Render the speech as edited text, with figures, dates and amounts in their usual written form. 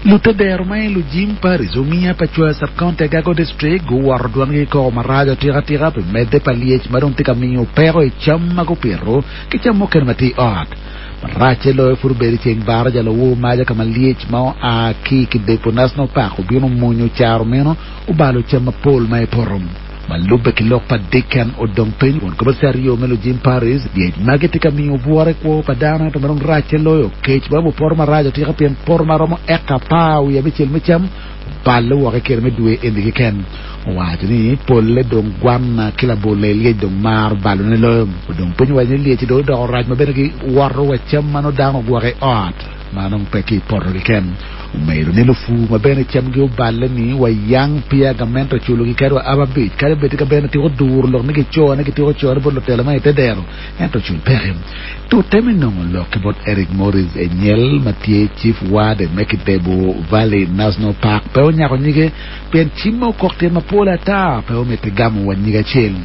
Lutedero ma i Lujim Parish, Omiya pa Cwa Sub-County Agago District guwoto dwangi ki koko maraco atika tika pi medde pa lyec ma dong tye ka miyo peko i cam ma gupito ki cam mukene ma tye i ot. Maracce loyo pud obedo i ceng baraja lawor maca ka ma lyec ma oa ki i Kidepo National Park obino omunyo caro meno obalo cam mapol ma i poto. Ma lubbe ki lok pa Dicken odong piny kun kobo CRO me Lujim Paris, lyec magi tye ka miyo bwura i kwo pa dano ento ma dong racce loyo kec ma poto marac atika pien poto ma romo eka 16 me cam oballe woko i kine me dwe eni keken. Owaco ni polle dong gwanna ki labolle lyec dong maro balone loyo. Odong piny owaco ni lyec-ci dong odoko rac ma bene giwoto wa cam ma nongo dano ogwoko i ot. Ma dong pe ki i poto keken. Omedo ni lupur ma bene camgi oballe-ni wa yang peya gamente oculogi kadi wa ababic kadi bed ka bene tiko duro lok ni gicone gitiko cone bot lutela ma i te dero ento cul peke. Tute me nongo lok ki bot Eric Morris Enyel ma tye Chief Warden me Kidebu Valley National Park pe onyako nyige pien cim ma okok tyen mapol ata pe omiti gamo wa nyige acel.